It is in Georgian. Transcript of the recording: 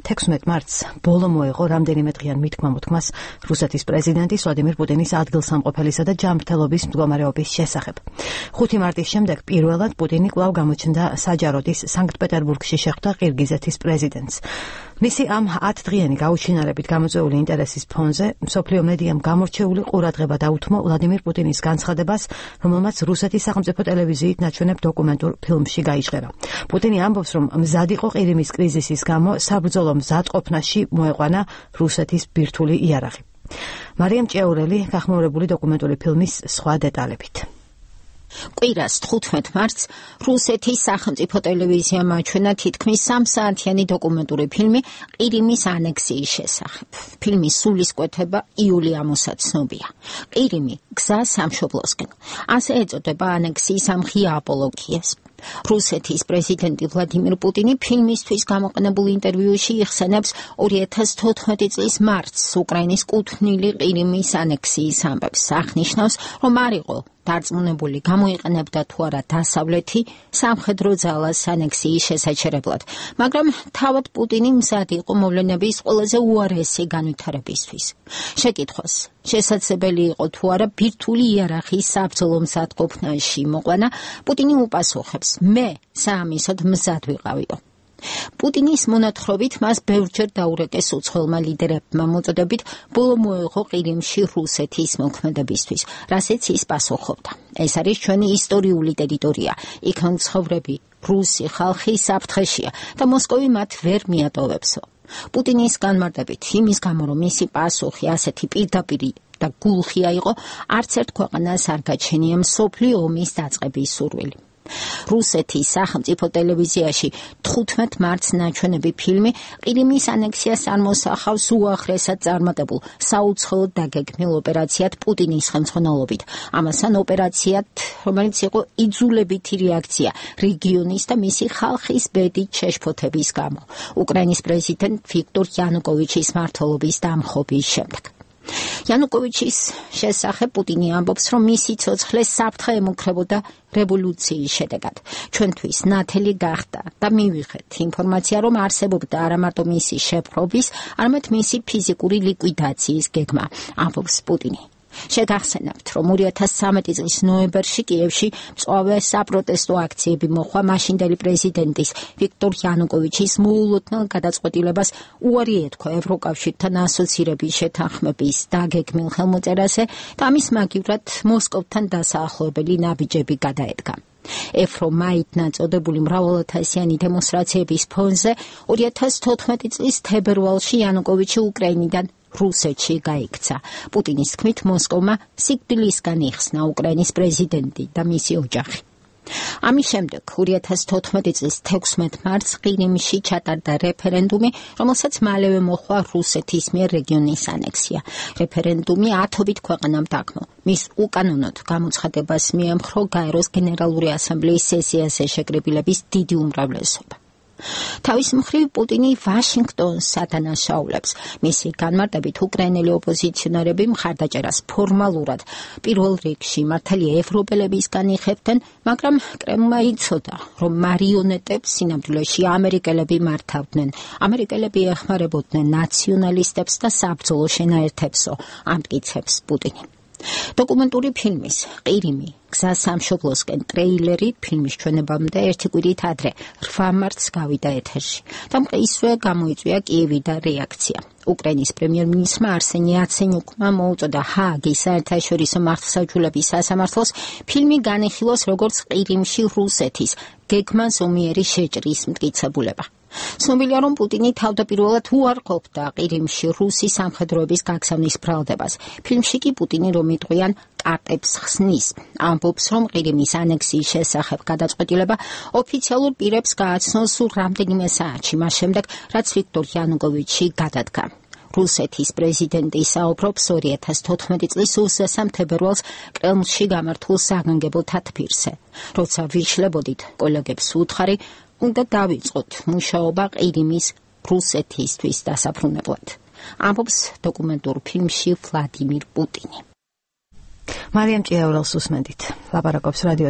16 მარტს ბოლო მოეღო რამდენიმე დღიან მითქმა-მოთქმას რუსეთის პრეზიდენტის ვლადიმირ პუტინის ადგილსამყოფელისა და ჯანმრთელობის მდგომარეობის შესახებ. 5 მარტის შემდეგ პირველად პუტინი კვლავ გამოჩნდა საჯაროდის სანქტ-პეტერბურგში შეხვდა ყირგიზეთის პრეზიდენტს. მისი ამ 10 დღიანი გაუჩინარებით გამოწვეული ინტერესის ფონზე მსოფლიო მედიამ გამორჩეული ყურადღება დაუთმო ვლადიმირ პუტინის განცხადებას, რომელმაც რუსეთის სახელმწიფო ტელევიზიით ნაჩვენებ დოკუმენტურ ფილმში გაიჟღერა. პუტინი ამბობს, რომ მზად იყო ყირიმის კრიზისის გამო საბრძოლო მზადყოფნაში მოეყვანა რუსეთის ბირთვული იარაღი. მარიამ ჭეურელი გახმაურებული დოკუმენტური ფილმის სხვა დეტალებით. კვირას 15 მარტს რუსეთის სახელმწიფო ტელევიზიამ აჩვენა თითქმის 3 საათიანი დოკუმენტური ფილმი ყირიმის ანექსიის შესახებ. ფილმის სულისკვეთება იული ამოსაც ცნობია. ყირიმი გზა სამშობლოსკენ. ასე ეწოდება ანექსიის ამ ღია აპოლოგიას. რუსეთის პრეზიდენტი ვლადიმირ პუტინი ფილმისთვის გამოყენებულ ინტერვიუში იხსენებს 2014 წლის მარტს უკრაინის კუთვნილი ყირიმის ანექსიის ამბებს. აღნიშნავს, რომ არ იყო დარწმუნებული გამოიყენებდა თუ არა დასავლეთი სამხედრო ძალას ანექსიის შესაჩერებლად, მაგრამ თავად პუტინი მზად იყო მოვლენების ყველაზე უარესი განვითარებისთვის. შეკითხვას შესაძლებელი იყო თუ არა ბირთვული იარაღის საბრძოლო მზადყოფნაში მოყვანა, პუტინი უპასუხებს, მე საამისოდ მზად ვიყავიო. პუტინის მონათხრობით მას ბევრჯერ დაურეკეს უცხოელმა ლიდერებმა მოწოდებით ბოლო მოეღო ყირიმში რუსეთის მოქმედებისთვის, რასაც ის პასუხობდა. ეს არის ჩვენი ისტორიული ტერიტორია, იქ მცხოვრები რუსი ხალხი საფრთხეშია და მოსკოვი მათ ვერ მიატოვებსო. პუტინის განმარტებით იმის გამო, რომ მისი პასუხი ასეთი პირდაპირი და გულხია იყო, არც ერთ ქვეყანას არ გაჩენია მსოფლიო ომის დაწყების სურვილი. რუსეთის სახელმწიფო ტელევიზიაში 15 მარტს ნაჩვენები ფილმი ყირიმის ანექსიას წარმოსახავს უახლესად წარმატებულ საუცხოოდ დაგეგმილ ოპერაციად პუტინის ხელმძღვანელობით. ამასთან ოპერაციად, რომელიც იყო იძულებითი რეაქცია რეგიონის და მისი ხალხის ბედით შეშფოთების გამო, უკრაინის პრეზიდენტ ვიქტორ იანუკოვიჩის მმართველობის დამხობის შემდეგ. იანუკოვიჩის შესახებ პუტინი ამბობს, რომ მისი ცოცხლე საფრთხე ემუქრებოდა რევოლუციის შედეგად. ჩვენთვის ნათელი გახდა და მივიღეთ ინფორმაცია, რომ არსებობდა არა მარტო მისი შეპყრობის, არამედ მისი ფიზიკური ლიკვიდაციის გეგმა, ამბობს პუტინი. შეგახსენებთ, რომ 2013 წლის ნოემბერში კიევში მწვავე საპროტესტო აქციები მოხდა მაშინდელი პრეზიდენტის ვიქტორ იანუკოვიჩის მოულოდნელ გადაწყვეტილებას უარი ეთქვა ევროკავშირთან ასოცირების შეთანხმების დაგეგმილ ხელმოწერაზე და ამის მაგივრად მოსკოვთან დასაახლოებელი ნაბიჯები გადაედგა. ევრომაიდ ნაწოდებული მრავალათასიანი დემონსტრაციების ფონზე 2014 წლის თებერვალში იანუკოვიჩი უკრაინიდან რუსეთში გაიქცა. პუტინის თქმით, მოსკოვმა სიკვდილისგან იხსნა უკრაინის პრეზიდენტი და მისი ოჯახი. ამის შემდეგ 2014 წლის 16 მარტს ყირიმში ჩატარდა რეფერენდუმი, რომელსაც მალევე მოჰყვა რუსეთის მიერ რეგიონის ანექსია. რეფერენდუმი 10 ქვეყანამ დაგმო. მის უკანონოდ გამოცხადებას მიემხრო გაეროს გენერალური ასამბლეის სესიაზე შეკრებილების დიდი უმრავლესობა. თავის მხრივ პუტინი ვაშინგტონს ადანაშაულებს. მისი განმარტებით უკრაინელი ოპოზიციონერები მხარდაჭერას ფორმალურად პირველ რიგში მართალია ევროპელებისგან იხებდნენ, მაგრამ კრემლმა იცოდა, რომ მარიონეტებს სინამდვილეში ამერიკელები მართავდნენ. ამერიკელები ეხმარებოდნენ ნაციონალისტებს და საბრძოლო შენაერთებსო, ამტკიცებს პუტინი. დოკუმენტური ფილმის ყირიმი გზა სამშობლოსკენ ტრეილერი ფილმის ჩვენებამდე ერთი კვირით ადრე 8 მარტს გავიდა ეთერში და ისვე გამოიწვია კიევიდან რეაქცია. უკრაინის პრემიერ-მინისტრმა არსენი იაცენიუკმა მოუწოდა ჰააგის საერთაშორისო მართლმსაჯულების სასამართლოს ფილმი განიხილოს როგორც ყირიმში რუსეთის გეგმა ზომიერი შეჭრის მტკიცებულება. ცნობილია, რომ პუტინი თავდაპირველად უარყოფდა ყირიმში რუსი სამხედროების გაგზავნის ბრალდებას. ფილმში კი პუტინი რომ იტყვიან კარტებს ხსნის. ამბობს, რომ ყირიმის ანექსიის შესახებ გადაწყვეტილება ოფიციალურ პირებს გააცნოს სულ რამდენიმე საათში, მას შემდეგ, რაც ვიქტორ იანუკოვიჩი გადადგა. რუსეთის პრეზიდენტი საუბრობს 2014 წლის 23 თებერვალს კრემლში გამართულ საგანგებო თათბირზე. როცა ვიშლებოდით კოლეგებს უთხარი, უნდა დავიწყოთ მუშაობა ყირიმის რუსეთისთვის დასაფრუნებლად. ამბობს დოკუმენტურ ფილმში ვლადიმირ პუტინი. მარიამ ჭიაურელს უსმენდით. ლაპარაკობს რადიო